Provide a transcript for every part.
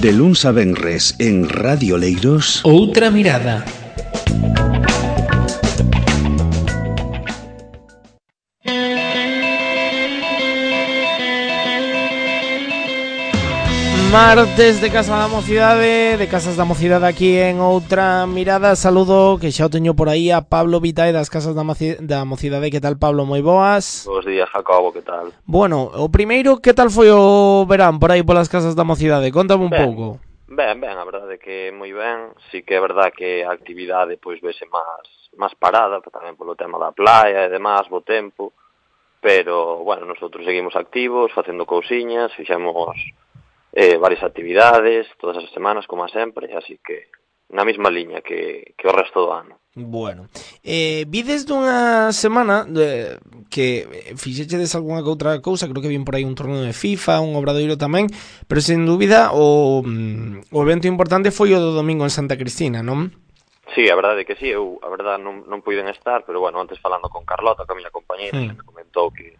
De luns a venres en Radio Leiros, Outra mirada. Martes de Casa da Mocidade, de Casas da Mocidade aquí en Outra Mirada. Saludo, que xa o teño por aí, a Pablo Vitae das Casas da Mocidade. Que tal, Pablo? Moi boas. Bos días, Jacobo, que tal? Bueno, o primeiro, que tal foi o verán por aí polas Casas da Mocidade? Contame un pouco. Ben, a verdade que moi ben. Sí que é verdade que a actividade pois vese máis parada, tamén polo tema da playa e demás, bo tempo. Pero, bueno, nosotros seguimos activos, facendo cousiñas, fixemos varias actividades todas as semanas, como sempre, así que na mesma liña que o resto do ano. Bueno, vides dunha semana que fixechedes algunha que outra cousa, creo que vin por aí un torneo de FIFA, un obradoiro tamén, pero sen dúbida o evento importante foi o do domingo en Santa Cristina, non? Sí, a verdade que sí, eu a verdade non puiden estar, pero bueno, antes falando con Carlota, que a miña compañera, me comentou que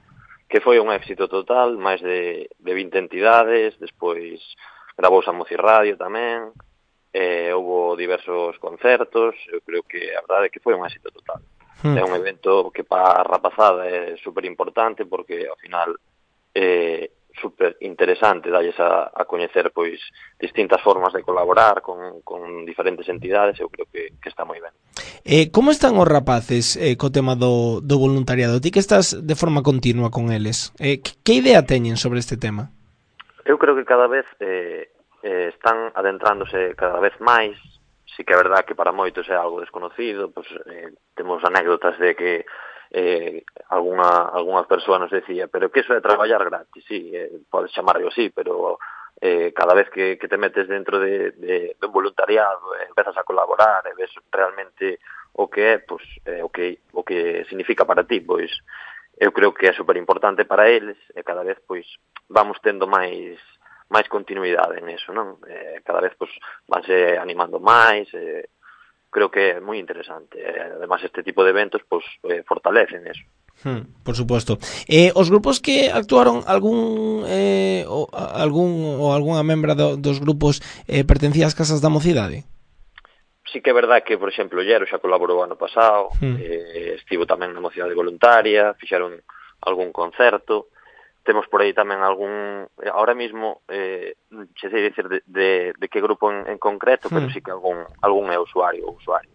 foi un éxito total, máis de 20 entidades, despois gravouse a Mocirradio tamén, houve diversos concertos, eu creo que a verdade é que foi un éxito total. É un evento que para a rapazada é super importante porque ao final é super interesante dalles a coñecer pois distintas formas de colaborar con diferentes entidades, eu creo que está moi ben. Como están os rapaces co tema do voluntariado? Ti que estás de forma continua con eles, que idea teñen sobre este tema? Eu creo que cada vez están adentrándose cada vez máis. Sí que é verdade que para moitos é algo desconocido, pois, temos anécdotas de que algunha persoa nos decía, pero que eso é traballar gratis, sí, podes chamarlo así, pero cada vez que te metes dentro de un voluntariado, empezas a colaborar e ves realmente o que é, pois, o que significa para ti, pois eu creo que é super importante para eles e cada vez pois vamos tendo máis continuidade en eso, non? Cada vez pois vanse animando máis, creo que é moi interesante. Además, este tipo de eventos pois fortalecen eso. Por suposto. Os grupos que actuaron, algunha membra dos grupos pertencía ás Casas da Mocidade? Sí que é verdade que, por exemplo, Llero xa colaborou ano pasado, estivo tamén na Mocidade Voluntaria, fixeron algún concerto. Temos por aí tamén ahora mismo, xe sei dicir de que grupo en concreto, pero sí que algún é usuario ou usuario.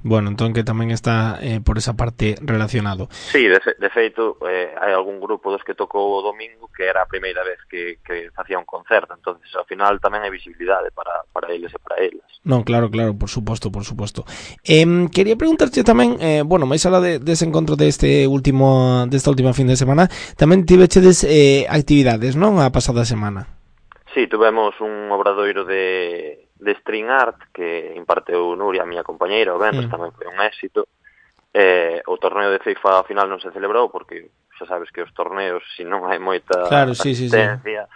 Bueno, entón que tamén está por esa parte relacionado. Sí, de feito, hai algún grupo dos que tocou o domingo que era a primeira vez que facía un concerto, entonces ao final tamén hai visibilidade para eles e para elas. Non, claro, por suposto. Quería preguntarte tamén, máis alá dese encontro desta última fin de semana, tamén tivechedes actividades, non, a pasada semana? Sí, tuvemos un obradoiro de string art que imparteu Nuria, a miña compañeira, o venres, tamén foi un éxito. O torneo de FIFA ao final non se celebrou porque xa sabes que os torneos, se non hai moita asistencia,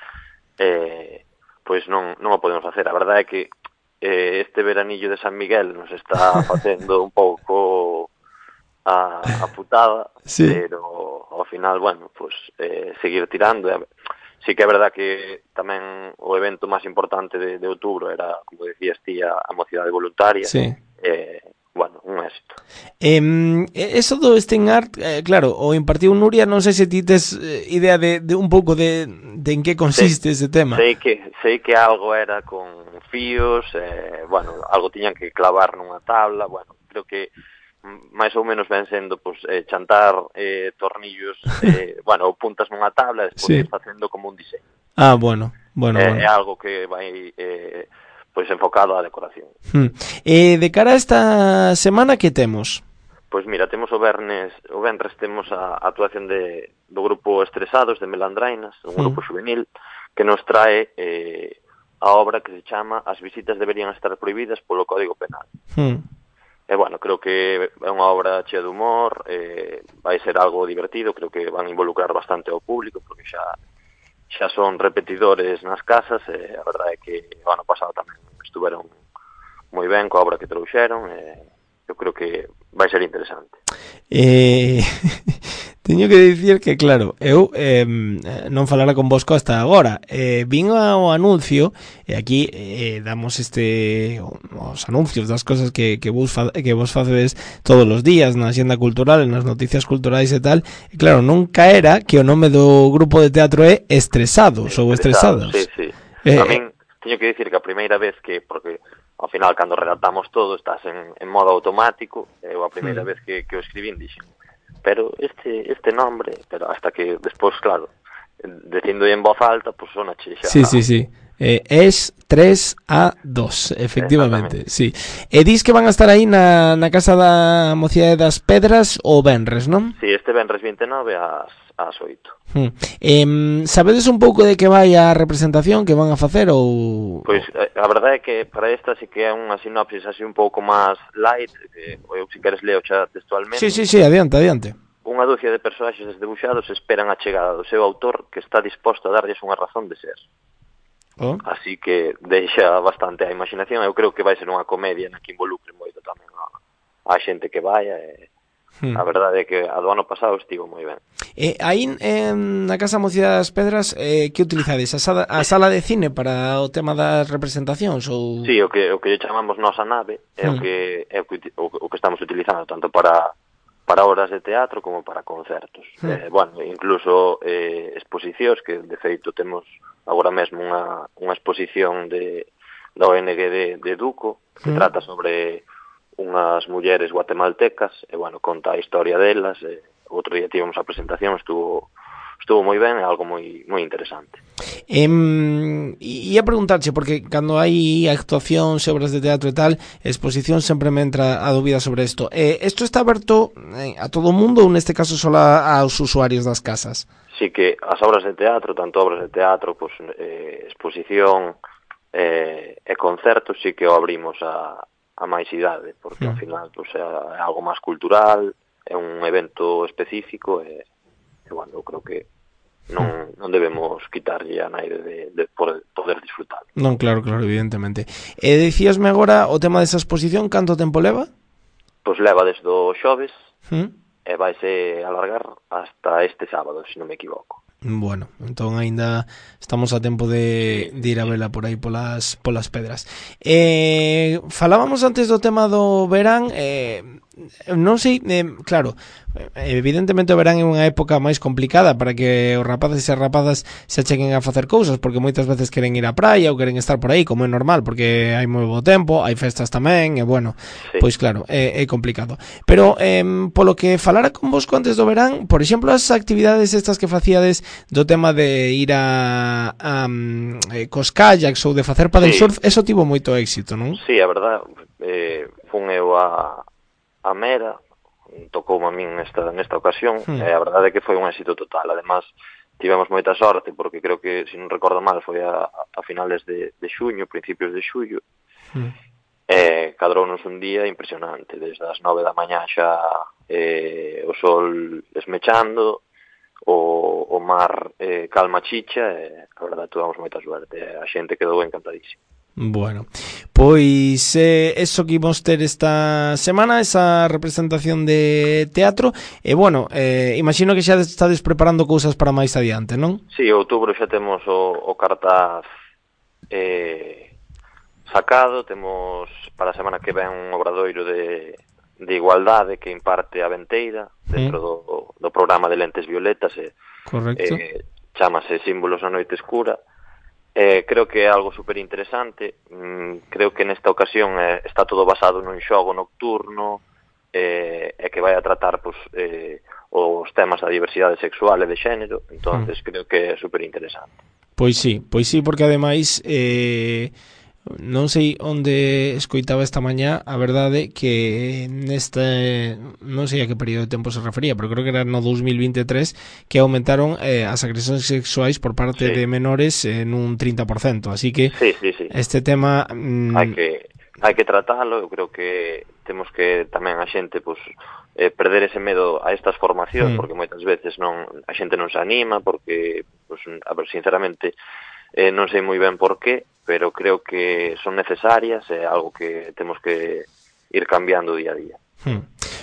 pois non o podemos facer. A verdade é que este veranillo de San Miguel nos está facendo un pouco a putada, pero ao final, bueno, pois seguir tirando. Sí que é verdade que tamén o evento máis importante de outubro era, como decías ti, a Mocidade Voluntaria. Sí. Bueno, un éxito. Eso do string art, claro, o impartiu Nuria, non sei se ti tes idea de un pouco de en que consiste ese tema. Sei que algo era con fíos, bueno, algo tiñan que clavar nunha tabla, bueno, creo que máis ou menos ven sendo pois, chantar tornillos, bueno, puntas nunha tabla e despois facendo como un diseño. Bueno. É algo que vai pois enfocado á decoración. De cara a esta semana, que temos? Pois mira, temos o venres temos a actuación do grupo Estresados de Melandrainas, un grupo juvenil que nos trae a obra que se chama As visitas deberían estar prohibidas polo Código Penal. E, bueno, creo que é unha obra chea de humor, vai ser algo divertido, creo que van involucrar bastante ao público, porque xa son repetidores nas casas, e a verdade é que o ano pasado tamén estuveron moi ben coa obra que trouxeron, eu creo que vai ser interesante. Teño que dicir que, claro, eu non falara convosco hasta agora. Vin ao anuncio, e aquí damos os anuncios das cosas que vos facedes todos os días na Axenda Cultural, nas noticias culturais e tal. E claro, non caera que o nome do grupo de teatro é Estresados ou Estresadas. Sí. A min teño que dicir que a primeira vez que, porque ao final cando redactamos todo estás en modo automático, eu a primeira vez que o escribín dixen, pero este nombre, pero hasta que despois, claro, dicindo en voz alta, pues sona xa. Sí. Es 3A2, efectivamente, sí. E dis que van a estar aí na Casa da Mocidade das Pedras o venres, non? Sí, este venres 29 ás 8. Sabedes un pouco de que vai a representación que van a facer ou... Pois a verdade é que para esta sí que é unha sinopsis así un pouco máis light, eu se queres leo xa textualmente. Sí, adiante. Unha dúcia de personaxes debuxados esperan a chegada do seu autor que está disposto a darlles unha razón de ser. Así que deixa bastante a imaginación. Eu creo que vai ser unha comedia na que involucre moito tamén a xente que vai a verdade é que a do ano pasado estivo moi ben. Aí na Casa Mocidade das Pedras que utilizades? A sala de cine para o tema das representacións? Ou... Sí, o que lle chamamos nosa nave é o que estamos utilizando tanto para obras de teatro como para concertos. Bueno, incluso exposicións que de feito temos agora mesmo unha exposición da ONG de Duco que trata sobre unhas mulleres guatemaltecas e, bueno, conta a historia delas. Outro día tivemos a presentación, estuvo moi ben, é algo moi interesante. Ia preguntarche, porque cando hai actuacións, obras de teatro e tal, exposición, sempre me entra a dúbida sobre isto. Isto está aberto a todo o mundo ou neste caso só aos usuarios das casas? Sí que as obras de teatro, tanto obras de teatro, pues, exposición e concertos, sí que o abrimos a máis idade, porque ao final pues, é algo máis cultural, é un evento específico e bueno, eu creo que non debemos quitarlle a naide de poder disfrutar. Non, claro, evidentemente. Dicíasme agora o tema desa exposición, canto tempo leva? Pois leva desde o xoves e vaise alargar hasta este sábado, se non me equivoco. Bueno, entón aínda estamos a tempo de ir a vela por aí polas pedras. Falábamos antes do tema do verán, non sei, claro, evidentemente o verán é unha época máis complicada para que os rapaces e as rapazas se acheguen a facer cousas, porque moitas veces queren ir á praia ou queren estar por aí, como é normal, porque hai moi bo tempo, hai festas tamén, e bueno, pois claro, é complicado. Pero polo que falara con vosco antes do verán, por exemplo, as actividades estas que facíades do tema de ir a cos kayaks ou de facer paddle surf, eso tivo moito éxito, non? Sí, a verdade, fun eu a Mera, tocoume a min nesta ocasión, e a verdade é que foi un éxito total. Además, tivemos moita sorte, porque creo que, se non recordo mal, foi a finales de xuño, principios de xullo, e cadrounos un día impresionante, desde as 9 da mañá xa o sol esmechando, o mar calma chicha, e a verdade tuvamos moita suerte, a xente quedou encantadísima. Bueno, pois eso que imos ter esta semana, esa representación de teatro, e bueno, imagino que xa estades preparando cousas para máis adiante, non? Sí, outubro xa temos o cartaz sacado, temos para a semana que ven un obradoiro de igualdade que imparte a Venteira dentro do programa de Lentes Violetas, correcto. Chámase Símbolos na Noite Escura. Creo que é algo super interesante. Creo que nesta ocasión está todo basado nun xogo nocturno e que vai a tratar pues, os temas da diversidade sexual e de xénero. Entonces creo que é super interesante. Pois sí, porque ademais non sei onde escoitaba esta mañá, a verdade que neste, non sei a que período de tempo se refería, pero creo que era no 2023 que aumentaron as agresións sexuais por parte de menores en un 30%, así que este tema hai que tratalo. Eu creo que temos que tamén a xente pues, perder ese medo a estas formacións, porque moitas veces a xente non se anima, porque pues, a ver, sinceramente non sei moi ben por qué, pero creo que son necesarias, é algo que temos que ir cambiando día a día.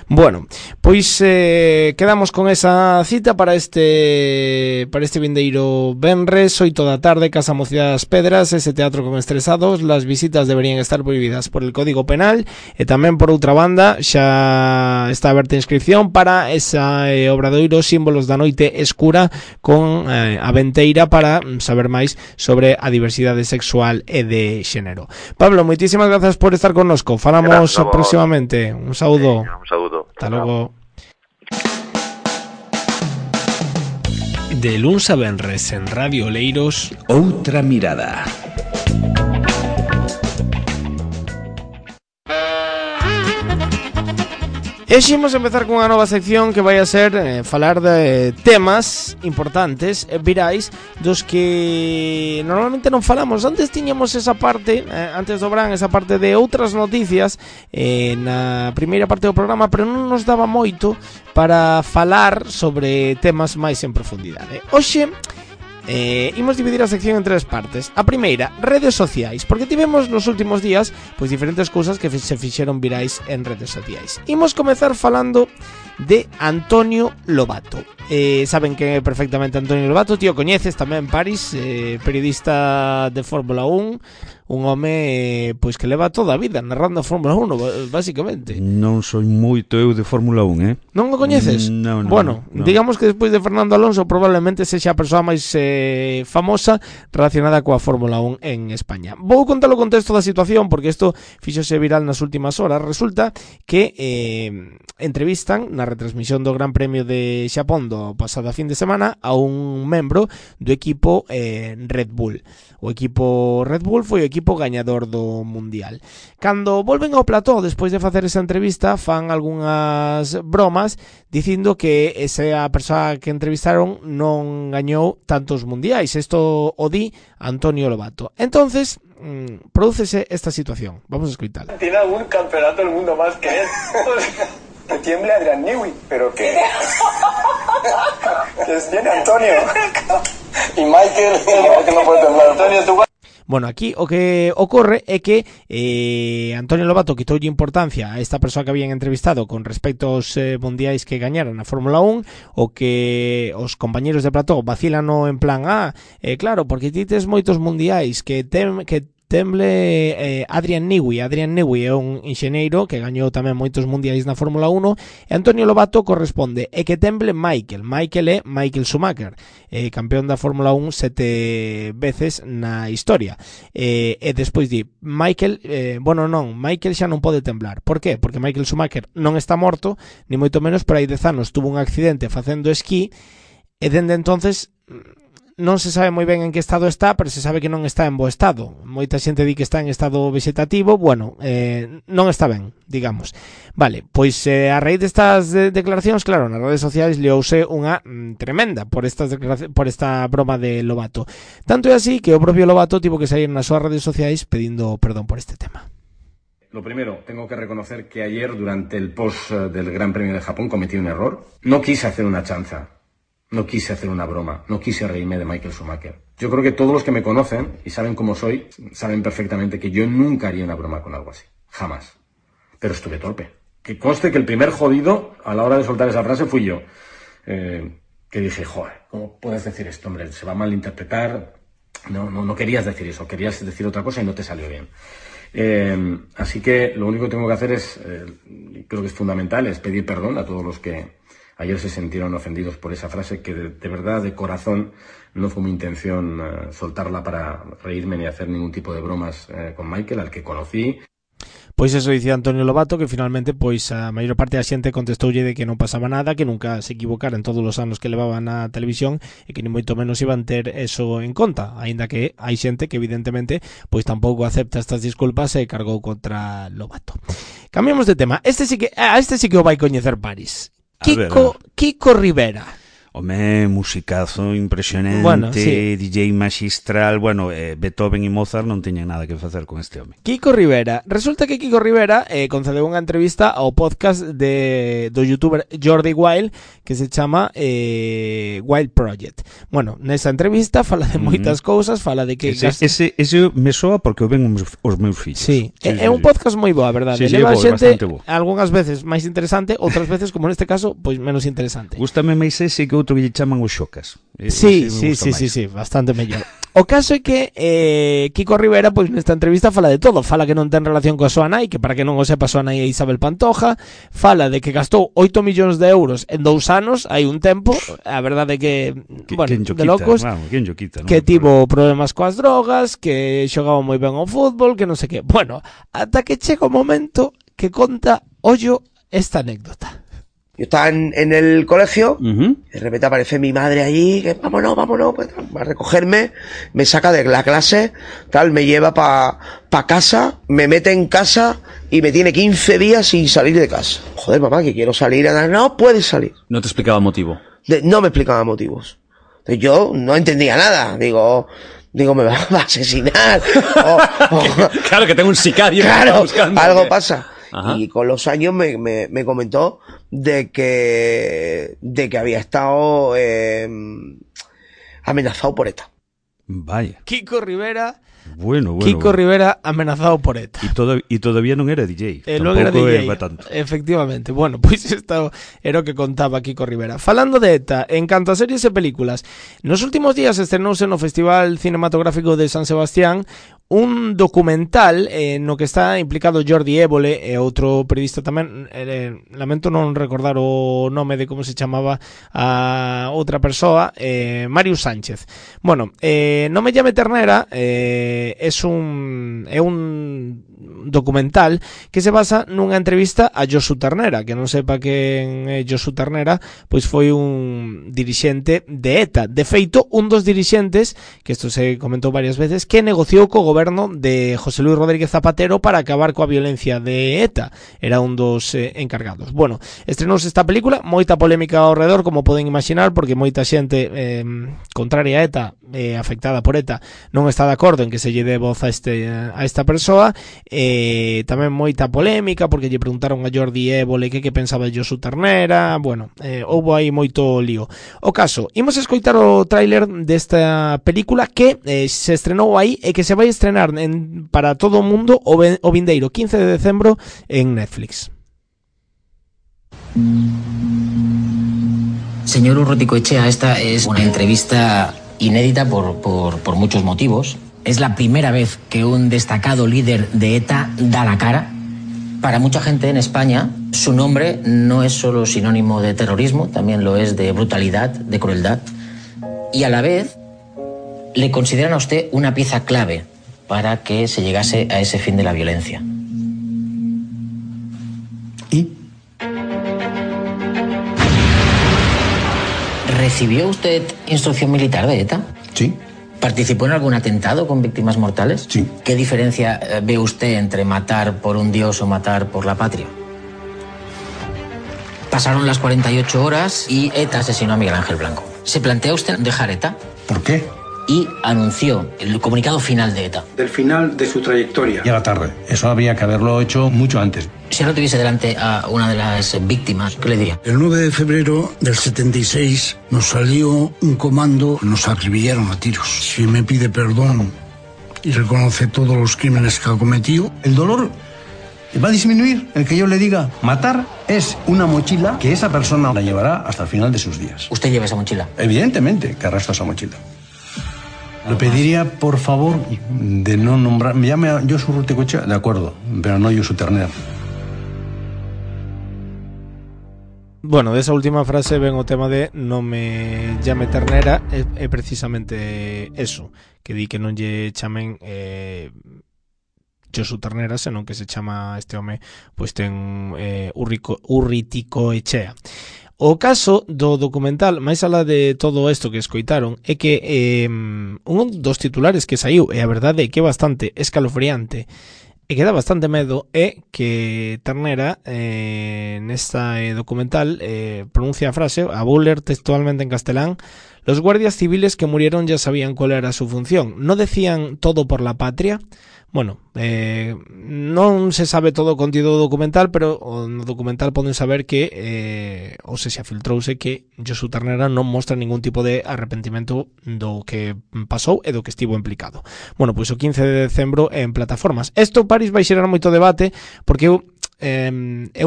Bueno, pois quedamos con esa cita para este vindeiro venres, 8 da tarde, Casa Mocidade das Pedras, ese teatro con estresados. Las visitas deberían estar prohibidas por el Código Penal, e tamén por outra banda xa está aberta a inscripción para esa obradoiro Símbolos da Noite Escura con a Venteira para saber máis sobre a diversidade sexual e de xénero. Pablo, moitísimas grazas por estar connosco. Falamos próximamente. Un saúdo. Un saúdo. Hasta logo. De luns a venres en Radio Oleiros, Outra mirada. E ximos empezar cunha nova sección que vai a ser falar de temas importantes, virais, dos que normalmente non falamos. Antes tiñamos esa parte, antes do verán, esa parte de outras noticias na primeira parte do programa, pero non nos daba moito para falar sobre temas máis en profundidade. Hoxe imos dividir a sección en tres partes. A primeira, redes sociais, porque tivemos nos últimos días pois diferentes cousas que se fixeron virais en redes sociais. Imos comezar falando de Antonio Lobato. Saben que é perfectamente Antonio Lobato, tío, coñeces tamén Paris, periodista de Fórmula 1, un home pois que leva toda a vida narrando a Fórmula 1, basicamente. Non soy moito eu de Fórmula 1, Non o coñeces? Non. Bueno, digamos que despois de Fernando Alonso probablemente sexa a persoa máis famosa relacionada coa Fórmula 1 en España. Vou contar o contexto da situación porque isto fíxose viral nas últimas horas. Resulta que entrevistan na retransmisión do Gran Premio de Xapón do pasada fin de semana a un membro do equipo Red Bull. O equipo Red Bull foi o equipo gañador do Mundial. Cando volven ao plató despois de facer esa entrevista, fan algunhas bromas dicindo que esa persoa que entrevistaron non gañou tantos mundiais. Isto o di Antonio Lobato. Entonces, prodúcese esta situación. Vamos a escoitar. Tiene algún campeonato del mundo más que él. Que tiemble Adrian Newey, pero que tiene Antonio. Y Michael no puede temblar. Antonio, tú. Bueno, aquí o que ocorre é que Antonio Lobato quitoulle importancia a esta persoa que habían entrevistado con respecto aos mundiais que gañaron na Fórmula 1, o que os compañeros de plató vacilan en plan, claro, porque ti tes moitos mundiais que temble Adrian Newey. Adrian Newey é un enxeñeiro que gañou tamén moitos mundiais na Fórmula 1, e Antonio Lobato corresponde é que temble Michael é Michael Schumacher, campeón da Fórmula 1 7 veces na historia, e despois di Michael, Michael xa non pode temblar. Por qué? Porque Michael Schumacher non está morto, ni moito menos, pero hai 10 anos tuvo un accidente facendo esquí, e dende entonces non se sabe moi ben en que estado está, pero se sabe que non está en bo estado. Moita xente di que está en estado vegetativo. Bueno, non está ben, digamos. Vale, pois a raíz destas declaracións, claro, nas redes sociais liouse unha tremenda por esta broma de Lobato. Tanto é así que o propio Lobato tivo que sair nas súas redes sociais pedindo perdón por este tema. Lo primero, tengo que reconocer que ayer, durante el post del Gran Premio de Japón, cometí un error. No quise hacer una chanza. No quise hacer una broma, no quise reírme de Michael Schumacher. Yo creo que todos los que me conocen y saben cómo soy, saben perfectamente que yo nunca haría una broma con algo así. Jamás. Pero estuve torpe. Que conste que el primer jodido a la hora de soltar esa frase fui yo. Que dije, joder, ¿cómo puedes decir esto, hombre? Se va a malinterpretar. No querías decir eso, querías decir otra cosa y no te salió bien. Así que lo único que tengo que hacer es, creo que es fundamental, es pedir perdón a todos los que ayer se sintieron ofendidos por esa frase, que de verdad, de corazón, no fue mi intención soltarla para reírme ni hacer ningún tipo de bromas con Michael, al que conocí. Pois eso dicía Antonio Lobato, que finalmente pois a maior parte da xente contestoulle de que non pasaba nada, que nunca se equivocara en todos os anos que levaba na televisión e que ni moito menos iban ter eso en conta, aínda que hai xente que evidentemente pois tampouco acepta estas disculpas e cargou contra Lobato. Cambiamos de tema. Este sí que o vai coñecer Paris. Kiko Rivera. Home, musicazo impresionante, Bueno, sí. DJ magistral, bueno, Beethoven e Mozart non teñen nada que facer con este home. Kiko Rivera. Resulta que Kiko Rivera concedeu unha entrevista ao podcast do youtuber Jordi Wild que se chama Wild Project. Bueno, nesa entrevista fala de moitas cousas, fala de que... Ese me soa porque o ven os meus fillos. Sí, é un podcast moi bo, a verdade. Sí, Leva bo, xente bo. algunhas veces máis interesante, outras veces, como neste caso, pois menos interesante. Gústame máis ese que outro que lle chaman os xocas. Sí, bastante mellor. O caso é que Kiko Rivera, pois nesta entrevista fala de todo. Fala que non ten relación coa súa nai, que para que non o sepa, a súa nai é Isabel Pantoja. Fala de que gastou 8 millóns de euros en 2 anos, hai un tempo. A verdade é que bueno, de locos, quita, que tivo problemas coas drogas, que xogaba moi ben ao fútbol, que non sei que. Bueno, ata que chega o momento que conta, ollo, esta anécdota. Yo estaba en el colegio, de repente aparece mi madre allí, que vámonos, pues, va a recogerme, me saca de la clase, tal, me lleva pa casa, me mete en casa y me tiene 15 días sin salir de casa. Joder, mamá, que quiero salir. No puedes salir. ¿No te explicaba motivo? No me explicaba motivos. Entonces yo no entendía nada. Digo, me va a asesinar. Claro, que tengo un sicario. Claro, buscando, algo pasa. Ajá. Y con los años me comentó de que había estado amenazado por ETA. Vaya. Kiko Rivera. Bueno. Kiko Rivera amenazado por ETA. E todavía non era DJ. Non era DJ, tanto. Efectivamente. Bueno, pois isto era o que contaba Kiko Rivera. Falando de ETA, en canto a series e películas, nos últimos días estrenouse no Festival Cinematográfico de San Sebastián un documental no que está implicado Jordi Évole e outro periodista tamén, lamento non recordar o nome de como se chamaba a outra persoa, Marius Sánchez. Bueno, Non me llame ternera é un documental que se basa nunha entrevista a Josu Ternera. Que non sepa quen é Josu Ternera, pois foi un dirixente de ETA. De feito, un dos dirixentes, que isto se comentou varias veces, que negociou co goberno de José Luis Rodríguez Zapatero para acabar coa violencia de ETA. Era un dos encargados. Bueno, estrenouse esta película, moita polémica ao redor, como poden imaginar, porque moita xente contraria a ETA, afectada por ETA, non está de acordo en que se lle dé voz a esta persoa. Tamén moita polémica porque lle preguntaron a Jordi Évole que pensaba de Josu Ternera. Bueno, houbo aí moito lío. O caso, imos escoitar o tráiler desta película que se estrenou aí e que se vai estrenar para todo o mundo o vindeiro 15 de decembro en Netflix. Señor Urruticoechea, esta es una entrevista inédita por muchos motivos. Es la primera vez que un destacado líder de ETA da la cara. Para mucha gente en España, su nombre no es solo sinónimo de terrorismo, también lo es de brutalidad, de crueldad. Y a la vez, le consideran a usted una pieza clave para que se llegase a ese fin de la violencia. ¿Y? ¿Recibió usted instrucción militar de ETA? Sí. ¿Participó en algún atentado con víctimas mortales? Sí. ¿Qué diferencia ve usted entre matar por un dios o matar por la patria? Pasaron las 48 horas y ETA asesinó a Miguel Ángel Blanco. ¿Se plantea usted dejar ETA? ¿Por qué? Y anunció el comunicado final de ETA. Del final de su trayectoria. Ya la tarde. Eso habría que haberlo hecho mucho antes. Si ahora tuviese delante a una de las víctimas, ¿qué le diría? El 9 de febrero del 76 nos salió un comando, nos acribillaron a tiros. Si me pide perdón y reconoce todos los crímenes que ha cometido, el dolor va a disminuir. El que yo le diga matar es una mochila que esa persona la llevará hasta el final de sus días. ¿Usted lleva esa mochila? Evidentemente que arrastra esa mochila. Le pediría, por favor, de no nombrar... Me llame a Josu Urruticoechea, de acuerdo, pero no Josu Ternera. Bueno, desa última frase ven o tema de non me llame ternera, é precisamente eso, que di que non lle chamen Josu Ternera, senón que se chama este home, pois ten Urruticoechea. O caso do documental, máis alá de todo isto que escoitaron, é que un dos titulares que saiu, e a verdade é que é bastante escalofriante, E que dá bastante medo é que Ternera nesta documental pronuncia a frase, a vou ler textualmente en castelán: los guardias civiles que murieron ya sabían cuál era su función. ¿No decían todo por la patria? Bueno, non se sabe todo o contido do documental, pero no documental poden saber que ou se filtrouse que Josu Ternera non mostra ningún tipo de arrepentimento do que pasou e do que estivo implicado. Bueno, pois o 15 de decembro en plataformas. Isto, Paris, vai xerar moito debate, porque eu,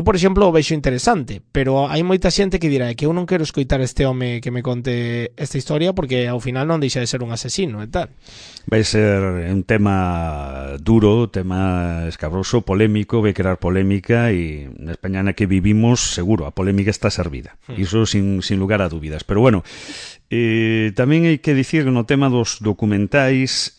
por exemplo, o vexo interesante, pero hai moita xente que dirá que eu non quero escoitar este home que me conte esta historia, porque ao final non deixa de ser un asesino e tal. Vai ser un tema duro, tema escabroso, polémico, vai crear polémica, e na España na que vivimos, seguro, a polémica está servida. Iso sin lugar a dúbidas. Pero bueno, tamén hai que dicir que no tema dos documentais,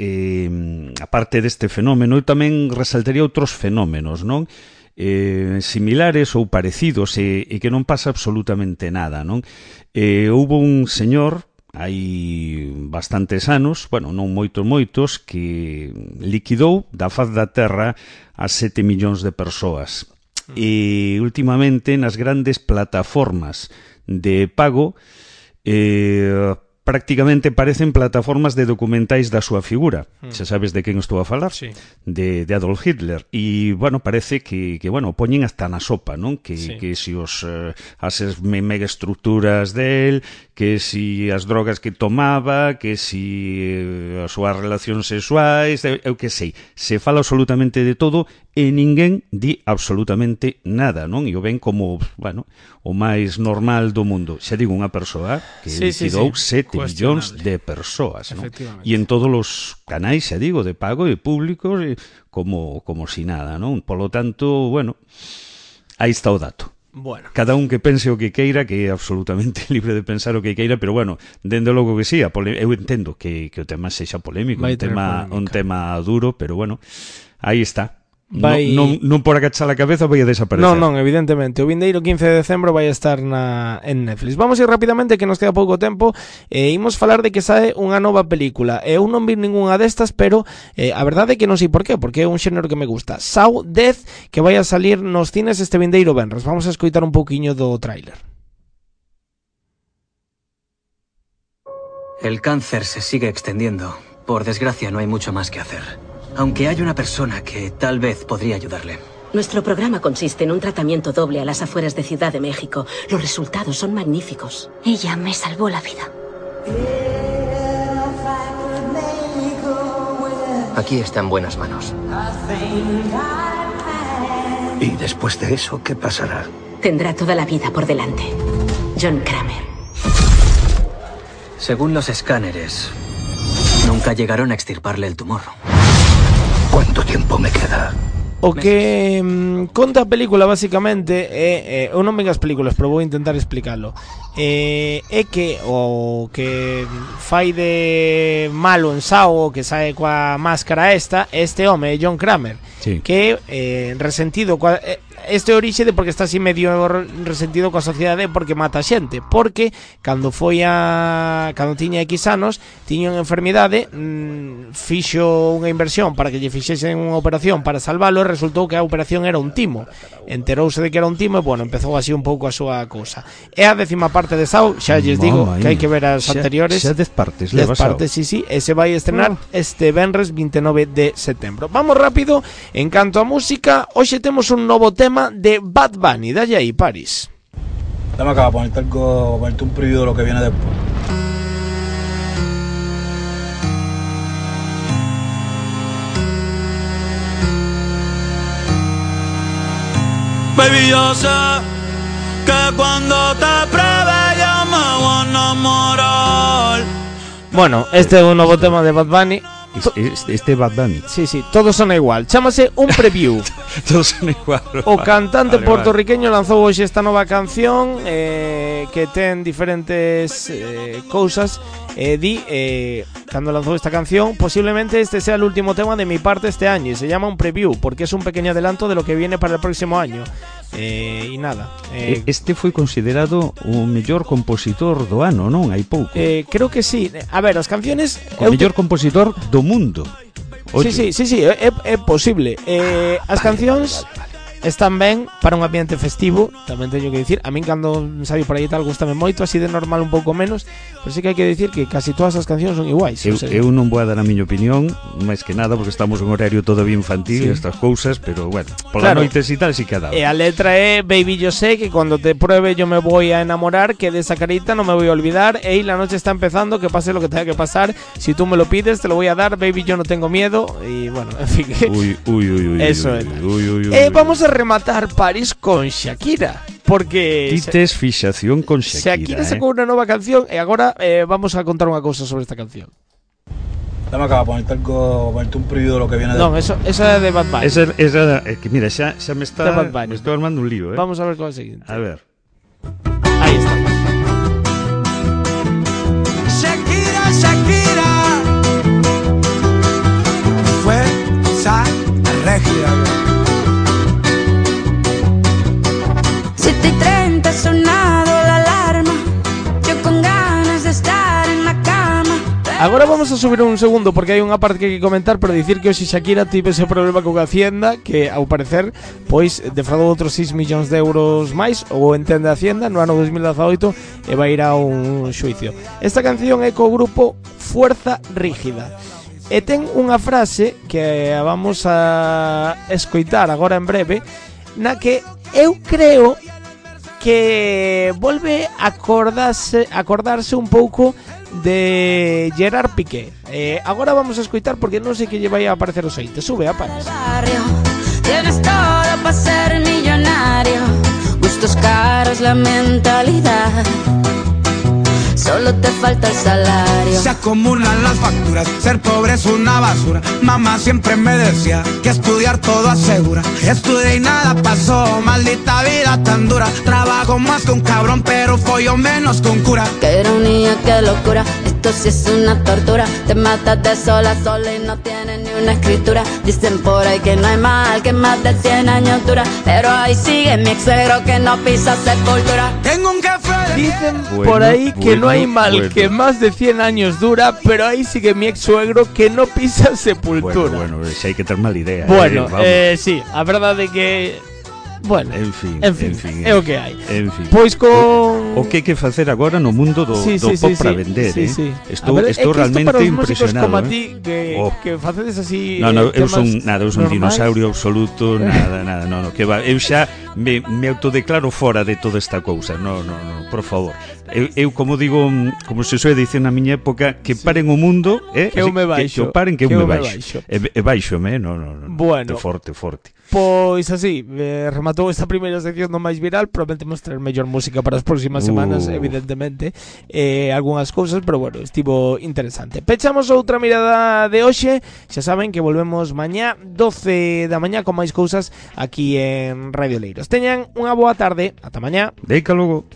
aparte deste fenómeno, eu tamén resaltaría outros fenómenos, non? Similares ou parecidos, e que non pasa absolutamente nada, non? Houbo un señor hai bastantes anos, bueno, non moitos, que liquidou da faz da terra a 7 millóns de persoas. E últimamente nas grandes plataformas de pago prácticamente parecen plataformas de documentais da súa figura. Xa sabes de quen estou a falar? Sí. De Adolf Hitler. E, bueno, parece que bueno, poñen hasta na sopa, non? Que si as megaestructuras del, que si as drogas que tomaba, que si as súas relacións sexuais, eu que sei. Se fala absolutamente de todo e ninguén di absolutamente nada, non? E o ven como, bueno, o máis normal do mundo. Xa digo, unha persoa que liquidou 7 millóns de persoas, non? E en todos os canais, xa digo, de pago e públicos, como si nada, non? Polo tanto, bueno, aí está o dato. Bueno. Cada un que pense o que queira, que é absolutamente libre de pensar o que queira, pero bueno, dende logo que sí, eu entendo que o tema sexa polémico, un tema duro, pero bueno, aí está. Non por agachar a cabeza vai a desaparecer. Non, evidentemente. O vindeiro 15 de decembro vai estar en Netflix. Vamos ir rapidamente, que nos queda pouco tempo. Imos falar de que sae unha nova película. Eu non vi ninguna destas, pero a verdade é que non sei por qué, porque é un xénero que me gusta. Saw Death, que vai a salir nos cines este vindeiro venres. Vamos a escoitar un pouquiño do tráiler. El cáncer se sigue extendiendo. Por desgracia, no hay mucho más que hacer. Aunque hay una persona que tal vez podría ayudarle. Nuestro programa consiste en un tratamiento doble a las afueras de Ciudad de México. Los resultados son magníficos. Ella me salvó la vida. Aquí está en buenas manos. ¿Y después de eso qué pasará? Tendrá toda la vida por delante. John Kramer. Según los escáneres, nunca llegaron a extirparle el tumor. ¿Cuánto tiempo me queda? O que conta a película basicamente eu non ven as películas, pero vou intentar explicalo. É que o que fai de malo en Saw, que sae coa máscara este home, John Kramer, que resentido coa este orixe de porque está así medio resentido coa sociedade porque mata xente, porque cando tiña X anos tiña unha enfermidade, fixo unha inversión para que lle fixesen unha operación para salvalo, e resultou que a operación era un timo. Enterouse de que era un timo e, bueno, empezou así un pouco a súa cousa. É a 10ª parte de Saw, xa lles digo que hai que ver as anteriores. Xa 10 partes, 10 partes, sí, e se vai estrenar este venres 29 de setembro. Vamos rápido, en canto a música, hoxe temos un novo tema de Bad Bunny. Dalle ahí, Paris. Dame acá, ponerte un preview de lo que viene después. Baby, yo sé que cuando te pruebe yo me voy a enamorar. Bueno, este é un novo tema de Bad Bunny. Este Bad Bunny. Sí, todos son igual. Chámase Un Preview. Todos son igual. O cantante puertorriqueño lanzou hoxe esta nova canción que ten diferentes cousas. Cando lanzou esta canción, posiblemente este sea el último tema de mi parte este año, y se llama Un Preview porque es un pequeño adelanto de lo que viene para el próximo año. E nada, este foi considerado o mellor compositor do ano, non? Hai pouco. Creo que sí. A ver, as canciones... O mellor compositor do mundo. Sí, é posible. As cancións están ben para un ambiente festivo, tamén teño que dicir. A min cando saio por aí tal gustame moito, así de normal un pouco menos, pero sí que hai que dicir que casi todas as cancións son iguais. Eu non vou a dar a miña opinión, máis que nada porque estamos en horario todavía infantil e estas cousas, pero bueno, pola noites e tal sí que ha dado. E a letra é Baby, yo sé que cuando te pruebe yo me voy a enamorar, que de esa carita no me voy a olvidar, ey, la noche está empezando, que pase lo que tenga que pasar, si tú me lo pides te lo voy a dar, baby, yo no tengo miedo, y bueno, en fin. Eso é. Vamos a rematar París con Shakira, porque Tites fixación con Shakira. Shakira sacou unha nova canción e agora vamos a contar unha cousa sobre esta canción. Dame acá, ponerte un preview de lo que viene. No, esa é de Bad Bunny. Esa que mira, xa me está armando un lío, Vamos a ver cuál es el siguiente. A ver. Ahí está. Shakira fuerza rígida. 7:30 ha sonado la alarma, yo con ganas de estar en la cama. Agora vamos a subir un segundo porque hai unha parte que hai que comentar, pero dicir que hoxe Shakira tivo ese problema con Hacienda, que ao parecer pois defraudou outros 6 millóns de euros máis, ou entende Hacienda, no ano 2018 e vai ir a un xuicio. Esta canción é co grupo Fuerza Rígida e ten unha frase que vamos a escoitar agora en breve, na que eu creo que volve a acordarse un pouco de Gerard Piqué. Agora vamos a escoitar porque non sei que lle vai a aparecer o seite. Sube, apagas. Tienes todo para ser millonario, gustos caros, la mentalidad, solo te falta el salario. Se acumulan las facturas, ser pobre es una basura. Mamá siempre me decía que estudiar todo asegura. Estudié y nada pasó, maldita vida tan dura. Trabajo más que un cabrón, pero follo menos que un cura. Qué ironía, qué locura, esto sí es una tortura. Te matas de sol a sol y no tienes ni una escritura. Dicen por ahí que no hay mal que más de 100 años dura, pero ahí sigue mi ex suegro que no pisa sepultura. Tengo un jefe. Dicen por ahí que no hay mal que más de 100 años dura, pero ahí sigue mi ex suegro que no pisa sepultura. Bueno, si hai que ter mal idea. Bueno, sí, a verdade é que bueno, en fin, é o que hai. En fin. Pois con o que hai que facer agora no mundo do pop para vender, Estou realmente impresionado. Como a ti que facedes así. No, eu son un dinosaurio absoluto, nada, no, que va. Eu xa me autodeclaro fora de toda esta cousa. No, por favor. Eu como digo, como se soe dicir na miña época, que paren o mundo, que eu me baixo. Que paren que eu me baixo. E baixome, no. Bueno. Forte. Pois así, rematou esta primeira sección do máis viral. Prometemos traer mellor música para as próximas semanas, evidentemente, algunhas cousas, pero bueno, estivo interesante. Pechamos outra mirada de hoxe. Xa saben que volvemos mañá 12 da mañá con máis cousas aquí en Radio Leiros. Teñan unha boa tarde, ata mañá. Deica logo.